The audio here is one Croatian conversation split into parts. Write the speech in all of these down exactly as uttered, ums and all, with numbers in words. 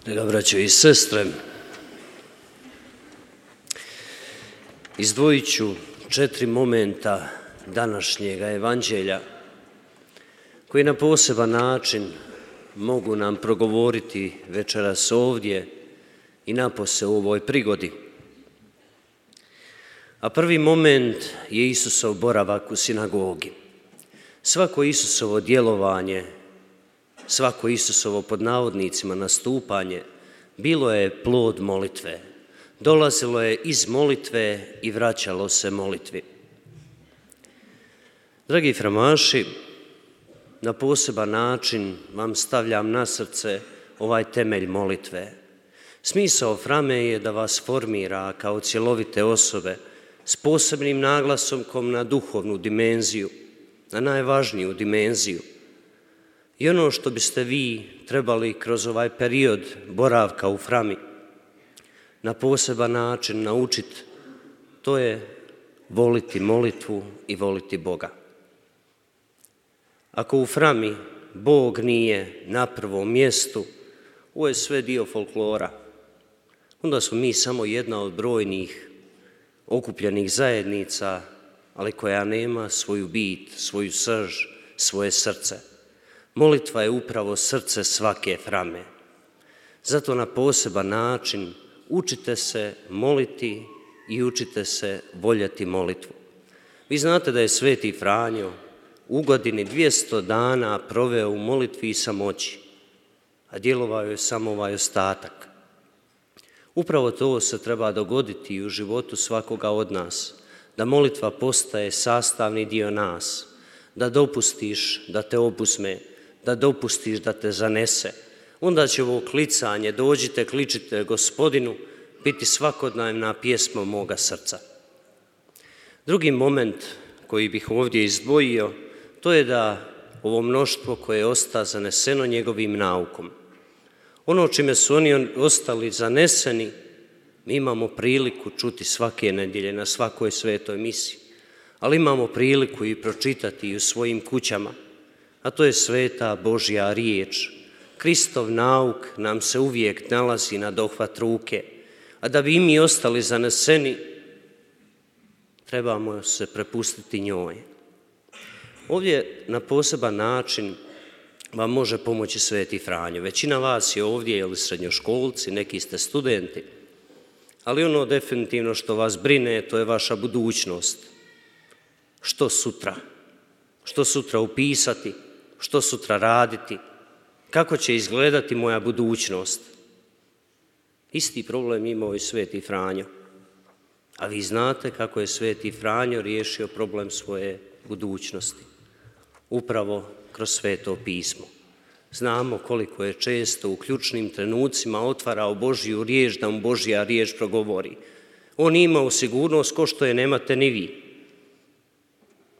Draga braćo i sestre, izdvojit ću četiri momenta današnjega evanđelja koji na poseban način mogu nam progovoriti večeras ovdje i napose u ovoj prigodi. A prvi moment je Isusov boravak u sinagogi. Svako Isusovo djelovanje, svako Isusovo pod navodnicima nastupanje bilo je plod molitve. Dolazilo je iz molitve i vraćalo se molitvi. Dragi framaši, na poseban način vam stavljam na srce ovaj temelj molitve. Smisao frame je da vas formira kao cjelovite osobe s posebnim naglasom na duhovnu dimenziju, na najvažniju dimenziju. I ono što biste vi trebali kroz ovaj period boravka u frami na poseban način naučiti, to je voliti molitvu i voliti Boga. Ako u frami Bog nije na prvom mjestu, ovo je sve dio folklora. Onda smo mi samo jedna od brojnih okupljenih zajednica, ali koja nema svoju bit, svoju srž, svoje srce. Molitva je upravo srce svake frame. Zato na poseban način učite se moliti i učite se voljeti molitvu. Vi znate da je Sveti Franjo u godini dvjesto dana proveo u molitvi i samoći, a djelovao je samo ovaj ostatak. Upravo to se treba dogoditi i u životu svakoga od nas, da molitva postaje sastavni dio nas, da dopustiš da te obuzme, da dopustiš da te zanese. Onda će ovo klicanje, dođite, kličite Gospodinu, biti svakodnevna pjesma moga srca. Drugi moment koji bih ovdje izdvojio, to je da ovo mnoštvo koje osta zaneseno njegovim naukom. Ono čime su oni ostali zaneseni, mi imamo priliku čuti svake nedjelje na svakoj svetoj misi, ali imamo priliku i pročitati i u svojim kućama, a to je sveta Božja riječ. Kristov nauk nam se uvijek nalazi na dohvat ruke, a da bi i mi ostali zaneseni, trebamo se prepustiti njoj. Ovdje na poseban način vam može pomoći Sveti Franjo. Većina vas je ovdje ili srednjoškolci, neki ste studenti, ali ono definitivno što vas brine, to je vaša budućnost. Što sutra? Što sutra upisati? Što sutra raditi? Kako će izgledati moja budućnost? Isti problem imao i Sveti Franjo. A vi znate kako je Sveti Franjo riješio problem svoje budućnosti. Upravo kroz Sveto pismo. Znamo koliko je često u ključnim trenucima otvarao Božju riječ, da mu Božja riječ progovori. On je imao sigurnost ko što je nemate ni vi.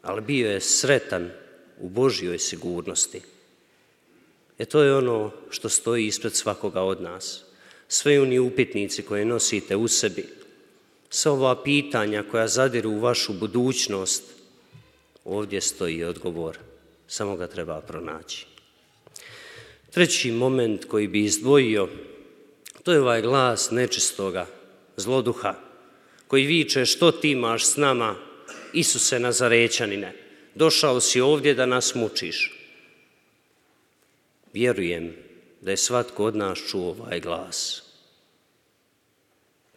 Ali bio je sretan u Božjoj sigurnosti. E to je ono što stoji ispred svakoga od nas. Sve oni upitnici koje nosite u sebi, sva ova pitanja koja zadiru u vašu budućnost, ovdje stoji odgovor. Samo ga treba pronaći. Treći moment koji bi izdvojio, to je ovaj glas nečistoga, zloduha, koji viče: što ti imaš s nama, Isuse Nazarećanine, došao si ovdje da nas mučiš. Vjerujem da je svatko od nas čuo ovaj glas.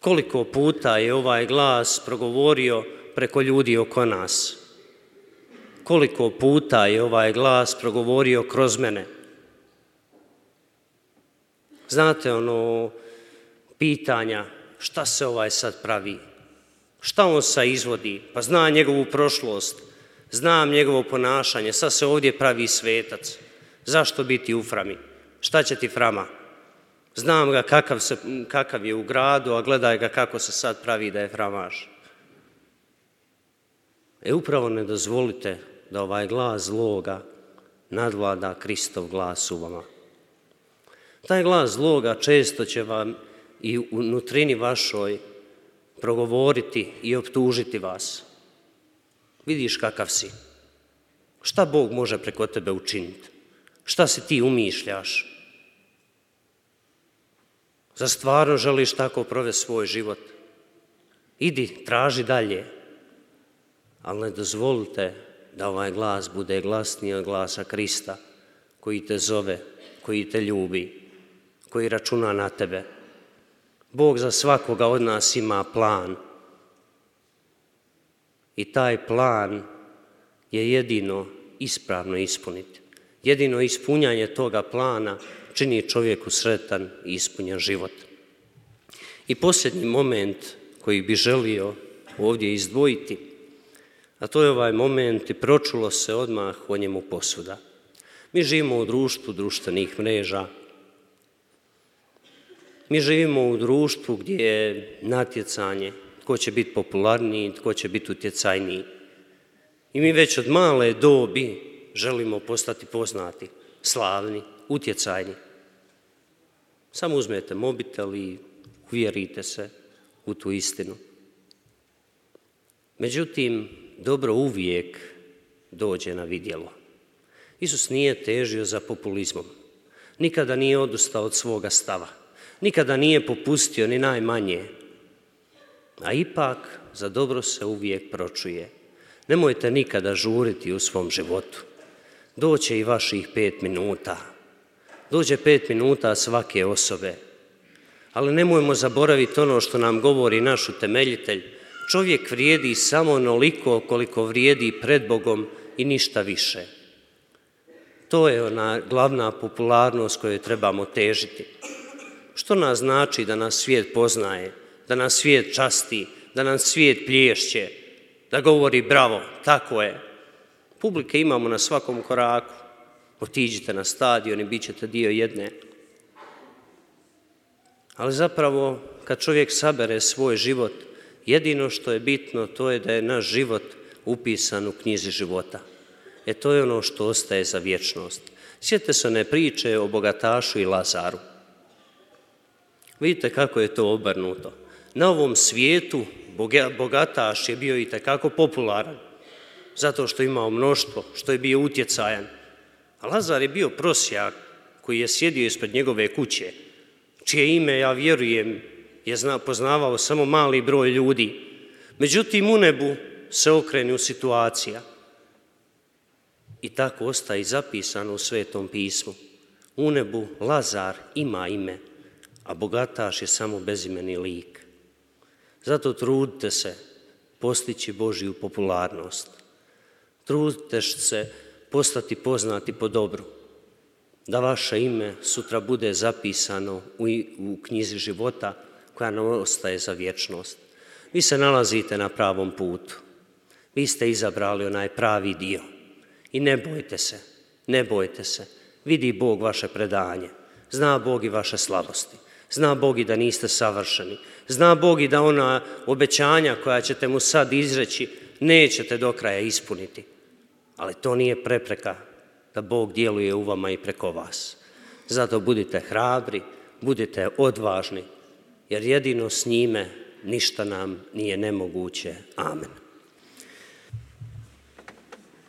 Koliko puta je ovaj glas progovorio preko ljudi oko nas? Koliko puta je ovaj glas progovorio kroz mene? Znate ono pitanja, šta se ovaj sad pravi? Šta on sad izvodi? Pa zna njegovu prošlost, znam njegovo ponašanje, sad se ovdje pravi svetac. Zašto biti u frami? Šta će ti frama? Znam ga kakav, se, kakav je u gradu, a gledaj ga kako se sad pravi da je framaš. E upravo ne dozvolite da ovaj glas zloga nadvlada Kristov glas u vama. Taj glas zloga često će vam i u nutrini vašoj progovoriti i optužiti vas. Vidiš kakav si. Šta Bog može preko tebe učiniti? Šta si ti umišljaš? Zar stvarno želiš tako provesti svoj život? Idi, traži dalje. Ali ne dozvolite da ovaj glas bude glasniji od glasa Krista, koji te zove, koji te ljubi, koji računa na tebe. Bog za svakoga od nas ima plan. I taj plan je jedino ispravno ispuniti. Jedino ispunjanje toga plana čini čovjeku sretan i ispunjen život. I posljednji moment koji bi želio ovdje izdvojiti, a to je ovaj moment i pročulo se odmah o njemu posuda. Mi živimo u društvu društvenih mreža. Mi živimo u društvu gdje je natjecanje, tko će biti popularniji, tko će biti utjecajniji. I mi već od male dobi želimo postati poznati, slavni, utjecajni. Samo uzmete mobitel i uvjerite se u tu istinu. Međutim, dobro uvijek dođe na vidjelo. Isus nije težio za populizmom. Nikada nije odustao od svoga stava. Nikada nije popustio ni najmanje. A ipak za dobro se uvijek pročuje. Nemojte nikada žuriti u svom životu. Doće i vaših pet minuta. Dođe pet minuta svake osobe. Ali nemojmo zaboraviti ono što nam govori naš utemeljitelj. Čovjek vrijedi samo onoliko koliko vrijedi pred Bogom i ništa više. To je ona glavna popularnost kojoj trebamo težiti. Što nas znači da nas svijet poznaje, da nas svijet časti, da nam svijet plješće, da govori bravo, tako je. Publike imamo na svakom koraku. Otiđite na stadion i bit ćete dio jedne. Ali zapravo, kad čovjek sabere svoj život, jedino što je bitno, to je da je naš život upisan u knjizi života. E to je ono što ostaje za vječnost. Sjetite se one priče o bogatašu i Lazaru. Vidite kako je to obrnuto. Na ovom svijetu bogataš je bio itekako popularan, zato što je imao mnoštvo, što je bio utjecajan. A Lazar je bio prosjak koji je sjedio ispred njegove kuće, čije ime, ja vjerujem, je poznavao samo mali broj ljudi. Međutim, u nebu se okrenu situacija. I tako ostaje zapisano u Svetom pismu. U nebu Lazar ima ime, a bogataš je samo bezimeni lik. Zato trudite se postići Božju popularnost. Trudite se postati poznati po dobru. Da vaše ime sutra bude zapisano u, u knjizi života koja nam ostaje za vječnost. Vi se nalazite na pravom putu. Vi ste izabrali onaj pravi dio. I ne bojte se, ne bojte se. Vidi Bog vaše predanje. Zna Bog i vaše slabosti. Zna Bog i da niste savršeni. Zna Bog i da ona obećanja koja ćete mu sad izreći nećete do kraja ispuniti. Ali to nije prepreka da Bog djeluje u vama i preko vas. Zato budite hrabri, budite odvažni, jer jedino s njime ništa nam nije nemoguće. Amen.